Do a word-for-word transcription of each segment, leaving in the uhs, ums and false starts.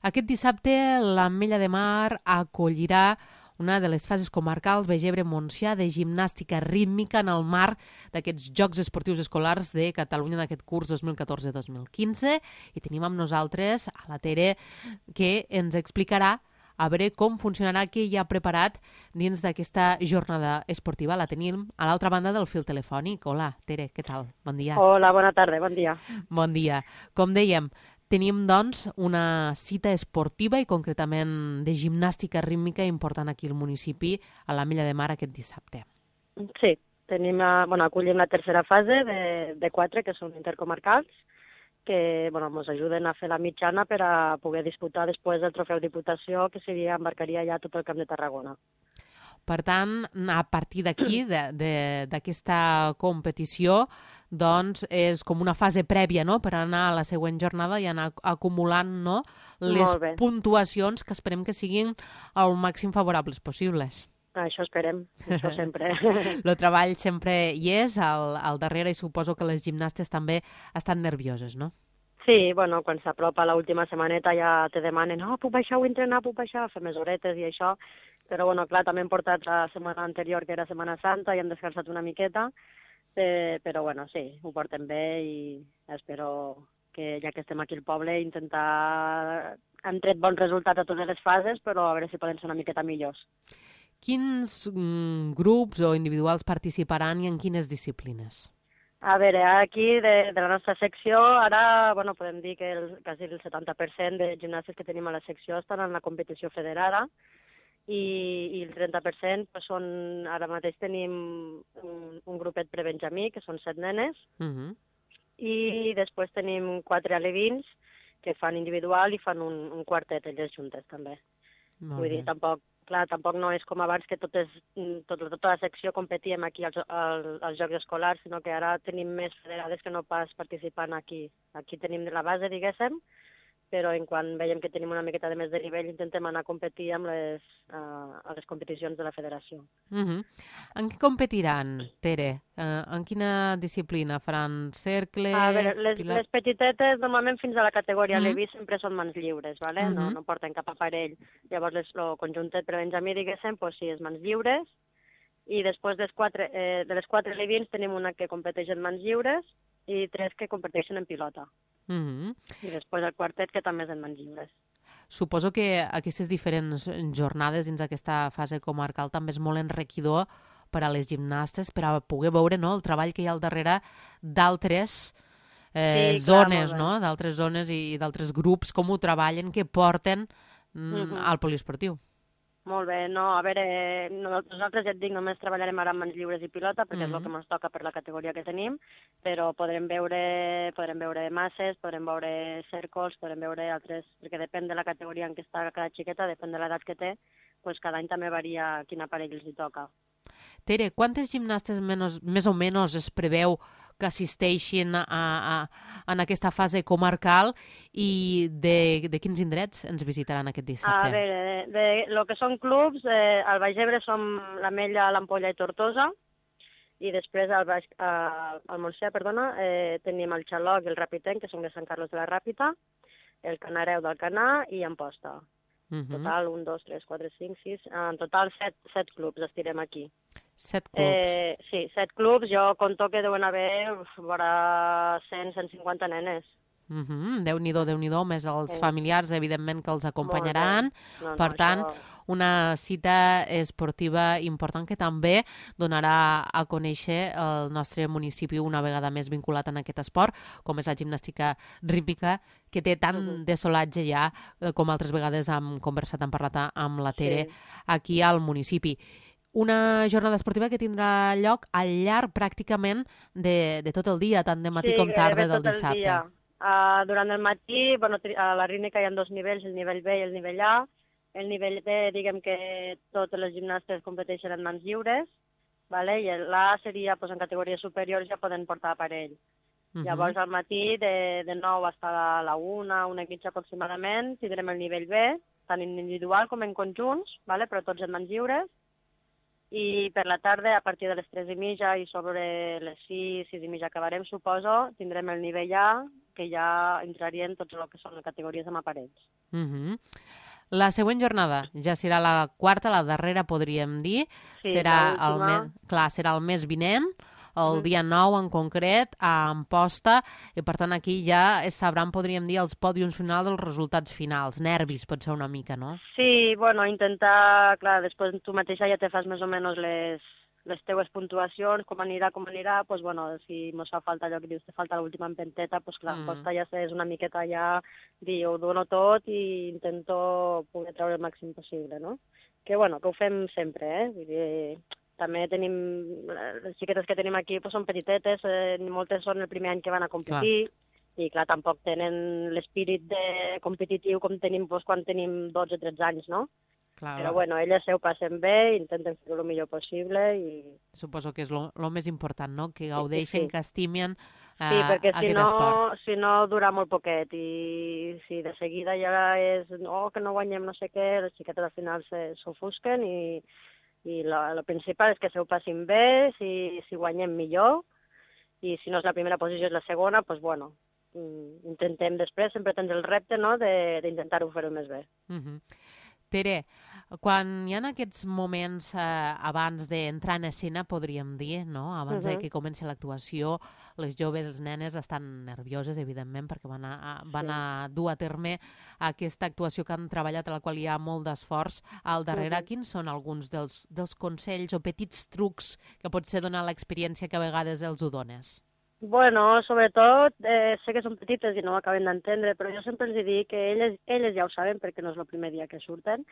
Aquest dissabte l'Ametlla de Mar acollirà una de les fases comarcals Begebre-Montsià de gimnàstica rítmica en el marc d'aquests Jocs Esportius Escolars de Catalunya d'aquest curs dos mil catorze dos mil quinze i tenim amb nosaltres a la Tere que ens explicarà a veure com funcionarà, què hi ha preparat dins d'aquesta jornada esportiva. La tenim a l'altra banda del fil telefònic. Hola, Tere, què tal? Bon dia. Hola, bona tarda, bon dia. Bon dia. Com dèiem, tenim, doncs, una cita esportiva i concretament de gimnàstica rítmica important aquí al municipi, a l'Ametlla de Mar, aquest dissabte. Sí, tenim, bueno, acollim la tercera fase de, de quatre, que són intercomarcals, que bueno, ens ajuden a fer la mitjana per a poder disputar després el trofeu Diputació, que seria, embarcaria ja tot el Camp de Tarragona. Per tant, a partir d'aquí, d'aquesta competició, doncs és com una fase prèvia, no?, per anar a la següent jornada i anar acumulant, no?, les puntuacions que esperem que siguin el màxim favorables possibles. Això esperem, això sempre. El treball sempre hi és al, al darrere i suposo que les gimnastes també estan nervioses, no? Sí, bueno, quan s'apropa l'última setmaneta ja te demanen oh, puc baixar o entrenar, puc baixar, fer més horetes i això, però bueno, clar, també hem portat la setmana anterior, que era Setmana Santa, i hem descansat una miqueta, eh, però bueno, sí, ho portem bé i espero que ja que estem aquí al poble intentar... Hem tret bons resultats a totes les fases, però a veure si poden ser una miqueta millors. Quins mm, grups o individuals participaran i en quines disciplines? A veure, aquí de, de la nostra secció, ara bueno, podem dir que el, quasi el setanta per cent de gimnastes que tenim a la secció estan en la competició federada i, i el trenta per cent pues, són, ara mateix tenim un, un grupet prebenjamí, que són set nenes, uh-huh. I després tenim quatre alevins que fan individual i fan un, un quartet, elles juntes també. Molt Vull bé. dir, tampoc Clar, tampoc no és com abans que totes, tot, tota la secció competíem aquí als, als, als Jocs Escolars, sinó que ara tenim més federades que no pas participant aquí. Aquí tenim la base, diguéssim, però en quan veiem que tenim una miqueta de més de nivell intentem anar a competir amb les, uh, a les competicions de la federació. Uh-huh. En què competiran, Tere? Uh, en quina disciplina? Faran cercle? A veure, les, pilar... les petitetes normalment fins a la categoria uh-huh. Levi sempre són mans lliures, ¿vale? uh-huh. no, no porten cap aparell. Llavors les, el conjuntet per Benjamí, diguéssim, pues, sí, és mans lliures, i després des quatre, eh, de les quatre levins tenim una que competeix en mans lliures i tres que competeixen en pilota. Uh-huh. I després el quartet, que també és en mans lliures. Suposo que aquestes diferents jornades dins aquesta fase comarcal també és molt enriquidor per a les gimnastes, per a poder veure, no?, el treball que hi ha al darrere d'altres eh, sí, zones, clar, no?, d'altres zones i d'altres grups, com ho treballen, que porten mm, uh-huh. al poliesportiu. Molt bé, no, a veure, nosaltres ja et dic, només treballarem ara amb mans lliures i pilota, perquè mm-hmm. és el que ens toca per la categoria que tenim, però podrem veure, podrem veure masses, podrem veure cèrcols, podrem veure altres, perquè depèn de la categoria en què està cada xiqueta, depèn de l'edat que té, doncs cada any també varia quin aparell els hi toca. Tere, quantes gimnastes menys, més o menys es preveu que assisteixin a, a, en aquesta fase comarcal i de, de quins indrets ens visitaran aquest dissabte? A veure, de, de lo que són clubs, eh, al Baix Ebre som l'Ametlla, l'Ampolla i Tortosa, i després al, Baix, eh, al Montsià, perdona, eh, tenim el Xaloc i el Rapitenc, que són de Sant Carlos de la Ràpita, el Canareu del Canà i Amposta. En total, un, dos, tres, quatre, cinc, sis... En total, set, set clubs estirem aquí. Set clubs? Eh, sí, set clubs. Jo conto que deuen haver vora cent, cent cinquanta nenes. Uh-huh. Déu-n'hi-do, Déu-n'hi-do, més els sí. familiars, evidentment, que els acompanyaran. No, no, per tant, això... una cita esportiva important que també donarà a conèixer el nostre municipi una vegada més vinculat en aquest esport, com és la gimnàstica rítmica, que té tant uh-huh. de solatge ja, com altres vegades hem conversat, hem parlat amb la Tere, sí. aquí al municipi. Una jornada esportiva que tindrà lloc al llarg pràcticament de, de tot el dia, tant de matí sí, com tarda del tot dissabte. El dia. Uh, durant el matí, bueno, a la rítmica hi ha dos nivells, el nivell B i el nivell A. El nivell B, diguem que totes les gimnastes competeixen en mans lliures, vale? I l'A seria, pues, en categories superiors ja poden portar aparell. Uh-huh. Llavors, al matí, de, de nou fins a la una, una i mitja aproximadament, tindrem el nivell B, tant en individual com en conjunts, vale? Però tots en mans lliures. I per la tarda, a partir de les tres i mitja i sobre les sis, sis i mitja acabarem, suposo, tindrem el nivell A, que ja entrarien tots el que són les categories amb aparells. Uh-huh. La següent jornada ja serà la quarta, la darrera, podríem dir. Sí, serà el l'última. mes, clar, serà el mes vinent, el Mhm. dia nou en concret, a Amposta, i per tant aquí ja es sabran, podríem dir, els pòdiums finals, els resultats finals. Nervis, pot ser una mica, no? Sí, bueno, intentar, clar, després tu mateixa ja te fas més o menys les, les teues puntuacions, com anirà, com anirà, doncs, bueno, si mos fa falta allò que dius, te falta l'última empenteta, doncs, clar, Mm. costa ja és una miqueta ja dir, ho dono tot i intento poder treure el màxim possible, no? Que, bueno, que ho fem sempre, eh? Vull dir, també tenim, les xiquetes que tenim aquí doncs, són petitetes, eh, moltes són el primer any que van a competir, i clar, tampoc tenen l'espírit de competitiu com tenim doncs, quan tenim dotze o tretze anys, no? Clar, Però bueno, elles se ho passen bé, intenten fer-ho el millor possible i... suposo que és el més important, no? Que gaudeixen, sí. que estimen eh, Sí, perquè si aquest no, esport. si no dura molt poquet i si de seguida ja és no, que no guanyem no sé què, les xiquetes al final s'ofusquen i, i el principal és que se ho passin bé, si, si guanyem millor i si no és la primera posició és la segona, doncs bueno, intentem després, sempre tens el repte no, d'intentar-ho fer-ho més bé. Uh-huh. Tere, quan hi ha aquests moments eh, abans d'entrar en escena, podríem dir, no? Abans uh -huh. de que comenci l'actuació, les joves, les nenes estan nervioses, evidentment, perquè van a, a, van sí. a dur a terme aquesta actuació que han treballat, a la qual hi ha molt d'esforç al darrere. Uh -huh. Quins són alguns dels, dels consells o petits trucs que potser donar l'experiència que a vegades els ho dones? Bueno, sobretot, eh, sé que són petites i no ho acaben d'entendre, però jo sempre els dic que elles, elles ja ho saben perquè no és el primer dia que surten,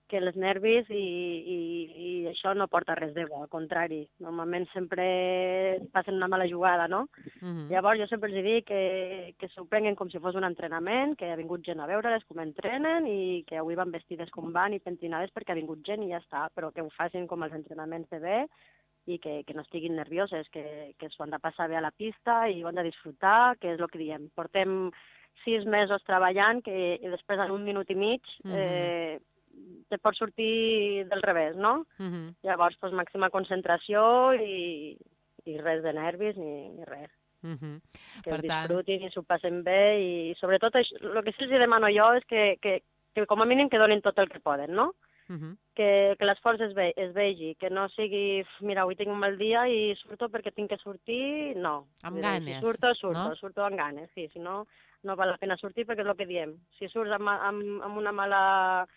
que els nervis i, i, i això no porta res de bo, al contrari. Normalment sempre passen una mala jugada, no? Uh-huh. Llavors jo sempre els dic que, que s'ho prenguen com si fos un entrenament, que ha vingut gent a veure-les com entrenen i que avui van vestides com van i pentinades perquè ha vingut gent i ja està, però que ho facin com els entrenaments de bé i que, que no estiguin nervioses, que, que s'ho han de passar bé a la pista i ho han de disfrutar, que és el que diem. Portem sis mesos treballant que i després en un minut i mig eh, te pot sortir del revés, no? Uh-huh. Llavors, doncs, màxima concentració i, i res de nervis ni, ni res. Uh-huh. Que per disfrutin tant... i s'ho passen bé i sobretot això, el que sí els demano jo és que, que, que com a mínim que donin tot el que poden, no? Uh-huh. que, que l'esforç es, ve, es vegi, que no sigui, mira, avui tinc un mal dia i surto perquè tinc que sortir, no. Amb ganes, si surto, surto, no? surto amb ganes, sí, si no, no val la pena sortir perquè és el que diem. Si surts amb, amb, amb una mala,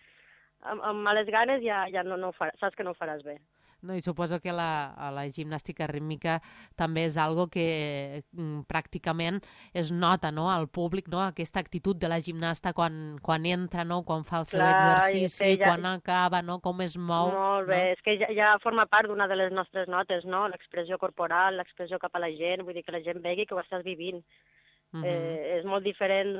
amb, amb males ganes ja, ja no, no ho faràs, saps que no ho faràs bé. No, i suposo que la, la gimnàstica rítmica també és algo que mm, pràcticament es nota, no?, al públic, no?, aquesta actitud de la gimnasta quan, quan entra, no?, quan fa el seu Clar, exercici, ja... quan acaba, no?, com es mou. Molt bé, no? És que ja, ja forma part d'una de les nostres notes, no?, l'expressió corporal, l'expressió cap a la gent, vull dir que la gent vegi que ho estàs vivint. Uh-huh. eh, és molt diferent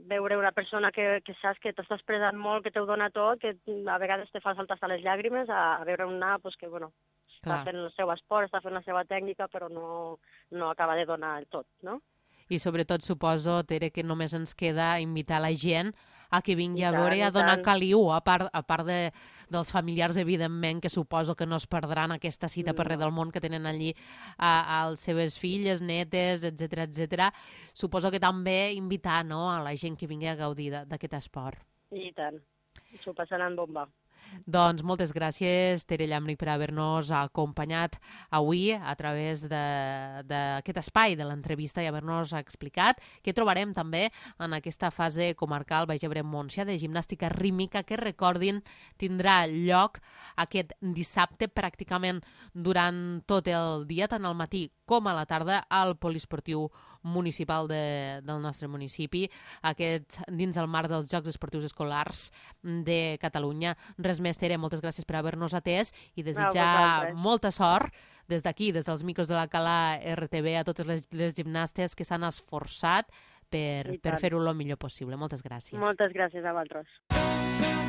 veure una persona que, que saps que t'està expressant molt, que t'ho dona tot, que a vegades te fa saltar les llàgrimes, a, a veure una pues, que bueno, Clar. està fent el seu esport, està fent la seva tècnica, però no, no acaba de donar el tot, no? I sobretot suposo, Tere, que només ens queda invitar la gent a que vingui I a tant, veure i a donar tant. caliu, a part, a part de, dels familiars, evidentment, que suposo que no es perdran aquesta cita no. per res del món que tenen allí a, a les seves filles, netes, etcètera, etcètera. Suposo que també invitar, no?, a la gent que vingui a gaudir d'aquest esport. I tant, s'ho passaran bomba. Doncs moltes gràcies, Tere Llamric, per haver-nos acompanyat avui a través d'aquest espai de l'entrevista i haver-nos explicat què trobarem també en aquesta fase comarcal Baix Ebre-Montsià de gimnàstica rítmica que, recordin, tindrà lloc aquest dissabte pràcticament durant tot el dia, tant al matí com a la tarda, al poliesportiu municipal de, del nostre municipi, aquest dins el marc dels Jocs Esportius Escolars de Catalunya. Res més, Tere, moltes gràcies per haver-nos atès i desitjar no, molta sort des d'aquí, des dels micros de la Cala R T V, a totes les, les gimnastes que s'han esforçat per, per fer-ho el millor possible. Moltes gràcies. Moltes gràcies a vosaltres.